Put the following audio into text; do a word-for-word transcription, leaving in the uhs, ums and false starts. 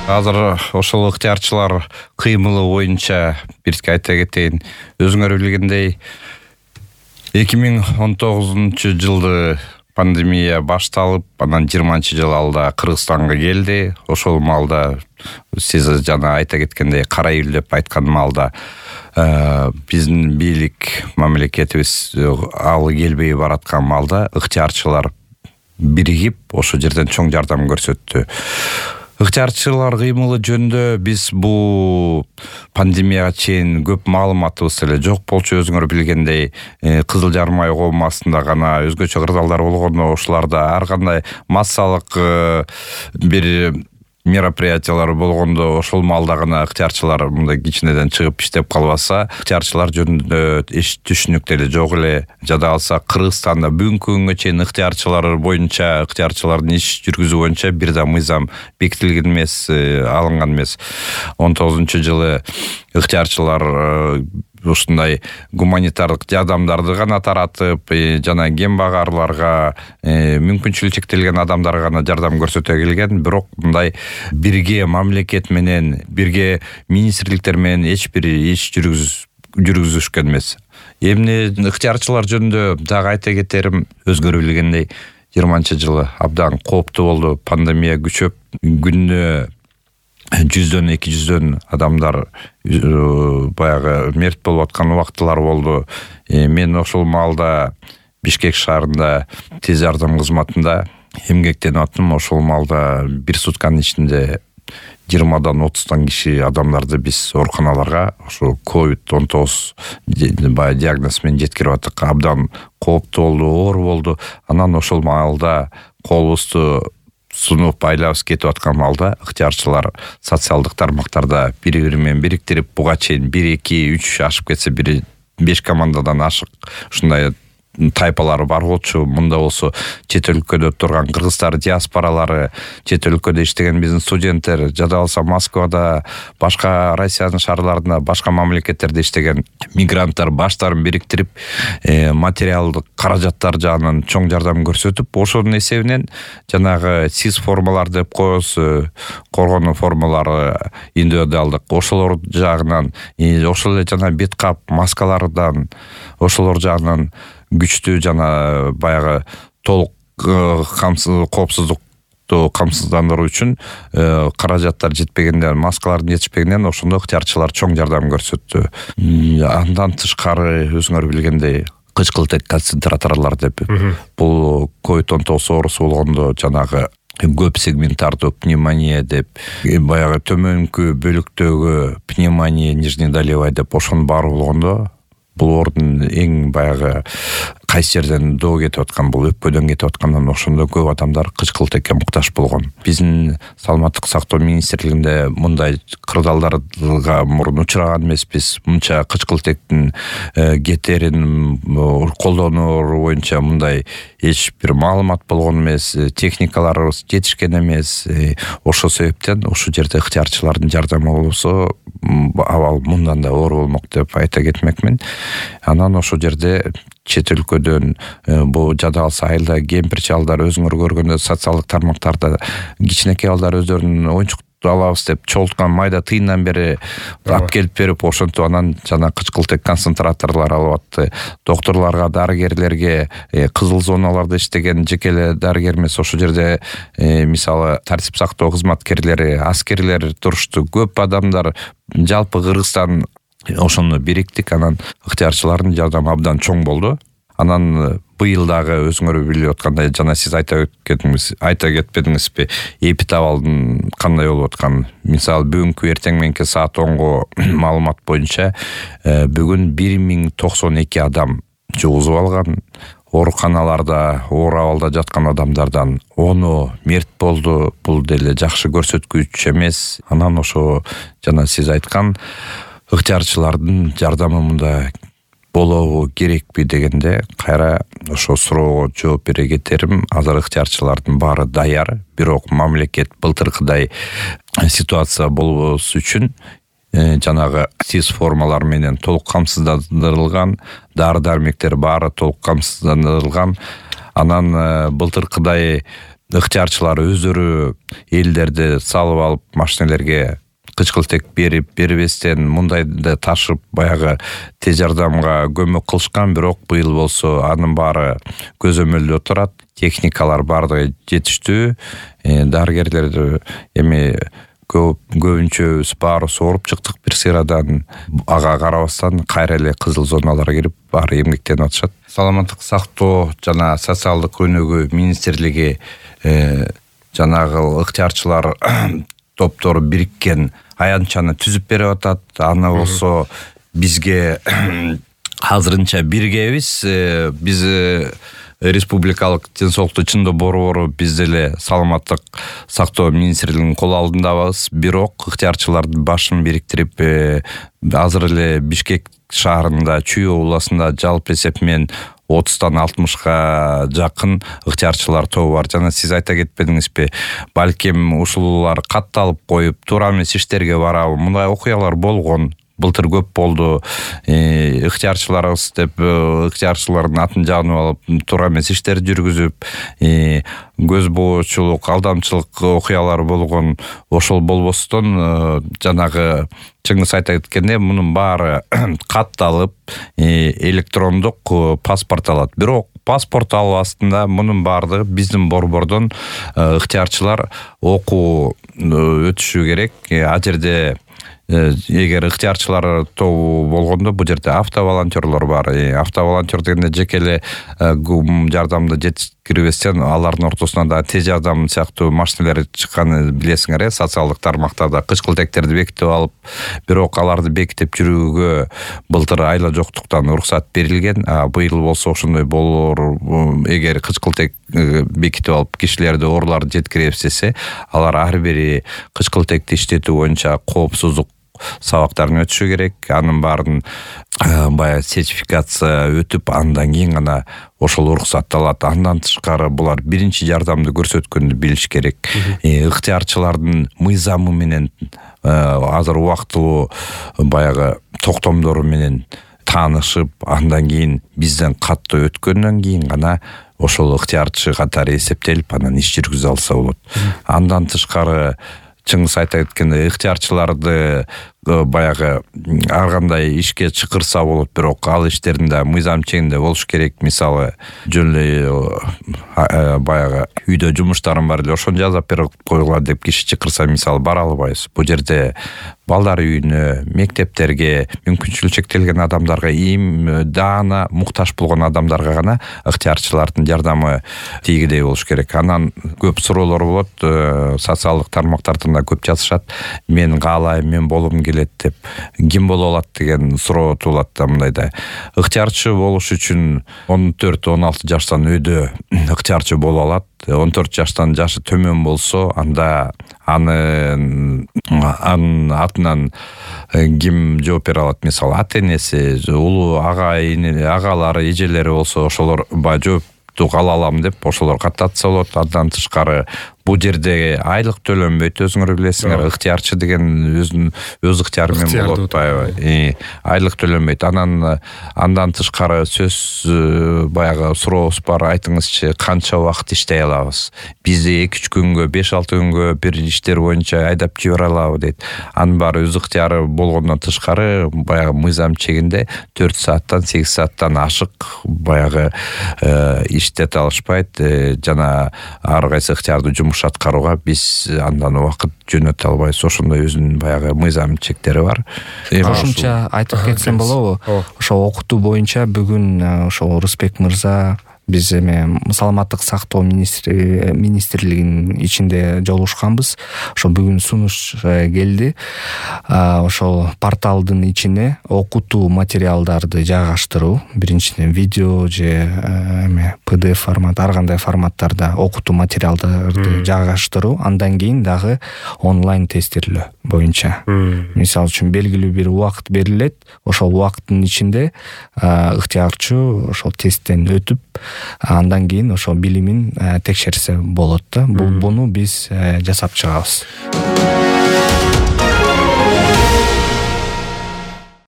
Азыр ошол ыктыярчылар кыймылы боюнча бирге айта кетейин. Өзүңөр билгендей эки миң он тогузунчу жылды пандемия башталып, анан жыйырманчы жыл алда Кыргызстанга келди. Ошол маалда сиз жана айта кеткендей кара июль деп айткан маалда биздин бийлик мамлекетибиз алы келбей бараткан маалда ыктыярчылар биригип ошол жерден чоң жардам көрсөттү. Ыктыярчылар кыймылы жөнүндө биз бул пандемияга чейин көп маалыматыбыз эле жок болчу. Өзүңөр билгендей Кызыл Жармай коомасында гана өзгөчө кырдаалдар болгондо ошоларда ар кандай массалык бир мероприятиялар болгондо ошол маалда гана ыктыярчылар мындай кичинеден чыгып иштеп калбаса, ыктыярчылар жөнүндө эч түшүнүк деле жок эле. Жада алса Кыргызстанда бүгүнкү күнгө чейин ыктыярчылар боюнча, ыктыярчылардын иш жүргүзүү боюнча бир да мыйзам бекитилген эмес, алынган эмес. он тогузунчу жылы ыктыярчылар ушундай гуманитардык жардамдарды гана таратып, жана кем багарларга, мүмкүнчүлүгү чектелген адамдарга гана жардам көрсөтө келген. Бирок мындай бирге мамлекет менен, бирге министрликтер менен эч бир иш жүргүзүшкөн эмес. Эмне ыктыярчылар жөнүндө дагы айта кетерим, өзгөрү билгендей жыйырманчы жылы абдан кооптуу болду. Пандемия күчөп, күнүнө жүздөн эки жүздөн адамдар баягы мерт болуп аткан убактылар болду. Мен ошол маалда Бишкек шаарында тез жардам кызматында эмгектенип аттым. Ошол маалда бир сутканын ичинде жыйырмадан отуздан киши адамдарды биз ооруканаларга ошо ковид он тогуз баягы диагноз менен жеткирип аттык. Абдан кооптуу болду, оор болду. Анан ошол маалда колубузду сунуп айлабыз кетип аткан маалда ыктыярчылар социалдык тармактарда бири-бири менен бириктирип, буга чейин бир эки үч ашып кетсе бир беш командадан ашык ушундай тайпалары бар болчу. Мында болсо чет өлкөдө турган кыргыздар диаспоралары, чет өлкөдө иштеген биздин студенттер, жада алса Москвада, башка Россиянын шаарларында, башка мамлекеттерде иштеген мигранттар баштарын бириктирип, материалдык каражаттар жагынан чоң жардам көрсөтүп, ошонун эсебинен жанагы сиз формалар деп коебуз, коргонуу формалары индивидуалдык, ошолор жагынан, ошол эле жана бет кап маскалардан, ошолор жагынан күчтүү жана баягы толук коопсуздукту камсыздандыруу үчүн каражаттар жетпегенден, маскалардын жетишпегенден ошондо ыктыярчылар чоң жардам көрсөттү. Андан тышкары өзүңөр билгендей кычкылтек концентраторлор деп, бул ковид он тогуз оорусу болгондо жанагы көп сегментардуу пневмония деп, баягы төмөнкү бөлүктөгү пневмония нижнедолевая деп ошонун баары болгондо, бул оордун эң баягы кайсы жерден доо кетип аткан, бул өпкөдөн кетип аткандан ошондо көп адамдар кычкылтекке муктаж болгон. Биздин саламаттык сактоо министрлигинде мындай кырдаалдарга мурун учураган эмеспиз. Мынча кычкылтектин кетерин колдонуу боюнча мындай эч бир маалымат болгон эмес, техникаларыбыз жетишкен эмес. Ошол себептен ушул жерде ыктыярчылардын жардамы болсо абал мындан да оор болмок деп айта кетмекмин. Анан ошол жерде чет өлкөдөн бул жада алса айылда кемпир чалдар, өзүңөр көргөндө социалдык тармактарда кичинекей балдар өздөрүнүн оюнчук алабыз деп чолткан майда тыйындан бери алып келип берип, ошентип анан жана кычкылтек концентраторлор алып атты. Доктурларга, дарыгерлерге, кызыл зоналарда иштеген жеке эле дарыгер эмес, ошол жерде мисалы тартип сактоо кызматкерлери, аскерлер турушту. Көп адамдар, жалпы Кыргызстан ошону бириктик. Анан ыктыярчылардын жардамы абдан чоң болду. Анан быйыл дагы өзүңөр билип аткандай, жана сиз айта кеткениңиз, айта кетпедиңизби, эпидабалдын кандай болуп аткан. Мисалы бүгүнкү эртең мененки саат онго маалымат боюнча бүгүн бир миң токсон эки адам жугузуп алган. Ооруканаларда, оор абалда жаткан адамдардан ону мерт болду. Бул деле жакшы көрсөткүч эмес. Анан ошо жана сиз айткан ыктыярчылардын жардамы мында болобу керекпи дегенде кайра ошо суроого жооп бере кетерим. Азыр ыктыярчылардын баары даяр, бирок мамлекет былтыркыдай ситуация болбос үчүн жанагы сиз формалар менен толук камсыздандырылган, дары-дармектер баары толук камсыздандырылган. Анан былтыркыдай ыктыярчылар өздөрү элдерди салып алып машинелерге кычкылтек берип бербестен мындайды ташып баягы тез жардамга көмөк кылышкан. Бирок быйыл болсо анын баары көзөмөлдө турат. Техникалар баардыгы жетиштүү. Дарыгерлер эми көп көбүнчөбүз баарыбыз ооруп чыктык бир сыйрадан. Ага карабастан кайра эле кызыл зоналарга кирип баары эмгектенип атышат. Саламаттык сактоо жана социалдык өнүгүү министрлиги жанагы ыктыярчылар топтору бириккен аянтчаны түзүп берип атат. Аны болсо бизге азырынча биргебиз. Биз республикалык ден соолукту чындоо борбору биз деле саламаттык сактоо министрлигинин кол алдындабыз. Бирок ыктыярчылардын башын бириктирип азыр эле Бишкек шаарында Чүй областында жалпы эсеп менен отуздан алтымышка жакын ыктыярчылар тобу бар. Жана сиз айта кетпедиңизби, балким ушулар катталып коюп туура эмес иштерге барабы? Мындай окуялар болгон. Былтыр көп болду. Ыктыярчыларыбыз деп ыктыярчылардын атын жаанып алып туура эмес иштер жүргүзүп, көз боочулук, алдамчылык окуялары болгон. Ошол болбостон жанагы чыңгыз айта кеткенде мунун баары катталып электрондук паспорт алат. Бирок паспорт алуу астында мунун баардыгы биздин борбордон ыктыярчылар окуу өтүшү керек. А жерде эгер ыктыярчылар тобу болгондо бул жерде автоволонтерлор бар. Автоволонтер дегенде жеке эле жардамды жеткирбестен алардын ортосуна да тез жардам сыяктуу машинелер чыкканын билесиңер. Социалдык тармактарда кычкылтектерди бекитип алып, бирок аларды бекитип жүрүүгө былтыр айла жоктуктан уруксат берилген. Быйыл болсо ошондой болор. Эгер кычкылтек бекитип алып кишилерди ооруларды жеткире эстесе, алар ар бири кычкылтекти иштетүү боюнча коопсуздук сабактарын өтүшү керек. Анын баарын баягы сертификация өтүп, андан кийин гана ошол уруксат алат. Андан тышкары булар биринчи жардамды көрсөткөндү билиш керек. Ыктыярчылардын мыйзамы менен азыр убактылуу баягы токтомдору менен таанышып, андан кийин бизден каттоо өткөндөн кийин гана ошол ыктыярчы катары эсептелип, анан иш жүргүзө алса болот. Андан тышкары чыңгыз айта кеткендей, ыктыярчыларды баягы ар кандай ишке чакырса болот, бирок ал иштердин да мыйзам чегинде болуш керек. Мисалы, жөн эле баягы үйдө жумуштарым бар эле, ошону жасап берип койгула деп киши чакырса, мисалы, бара албайбыз. Бул жерде балдар үйүнө, мектептерге, мүмкүнчүлүгү чектелген адамдарга, им даана муктаж болгон адамдарга гана ыктыярчылардын жардамы тийгидей болуш керек. Анан көп суроолор болот, социалдык тармактардан да көп жазышат. Мен каалайм, мен болгум келет деп. Ким боло алат деген суроо туулат да мындайда. Ыктыярчы болуш үчүн он төрт он алты жаштан өйдө ыктыярчы боло алат. он төрт жаштан жашы төмөн болсо, анда аны анын атынан ким жооп бере алат? Мисалы, ата энеси, улуу ага, агалары, эжелери болсо, ошолор баа жооптук ала алам деп ошолор каттатса болот. Андан тышкары бул жерде айлык төлөнбөйт, өзүңөр билесиңер. Ыктыярчы деген өзүнүн өз ыктыяры менен болуп атпайбы? Айлык төлөнбөйт. Анан андан тышкары сөз баягы сурообуз бар. Айтыңызчы, канча убакыт иштей алабыз? Бизди эки үч күнгө, беш алты күнгө бир иштер боюнча айдап жибере алабы дейт. Анын баары өз ыктыяры болгондон тышкары баягы мыйзам чегинде төрт сааттан сегиз сааттан ашык баягы иштете алышпайт. Жана ар кайсы ыктыярды жумуш аткарууга биз андан убакыт жөнөтө албайбыз. Ошондой өзүнүн баягы мыйзам чектери бар. Кошумча айтып кетсем болобу? Ошо окутуу боюнча бүгүн ошо Рысбек мырза биз эме саламаттык сактоо министрлигинин ичинде жолугушканбыз. Ошо бүгүн сунуш келди. Ошол порталдын ичине окутуу материалдарды жайгаштыруу, биринчиден видео же эме пи ди эф формат, ар кандай форматтарда окутуу материалдарды жайгаштыруу, андан кийин дагы онлайн тестирлөө боюнча. Мисалы үчүн белгилүү бир убакыт берилет, ошол убакыттын ичинде ыктыярчы ошол тесттен өтүп, андан кийин ошо билимин текшерсе болот да. Буну биз жасап чыгабыз.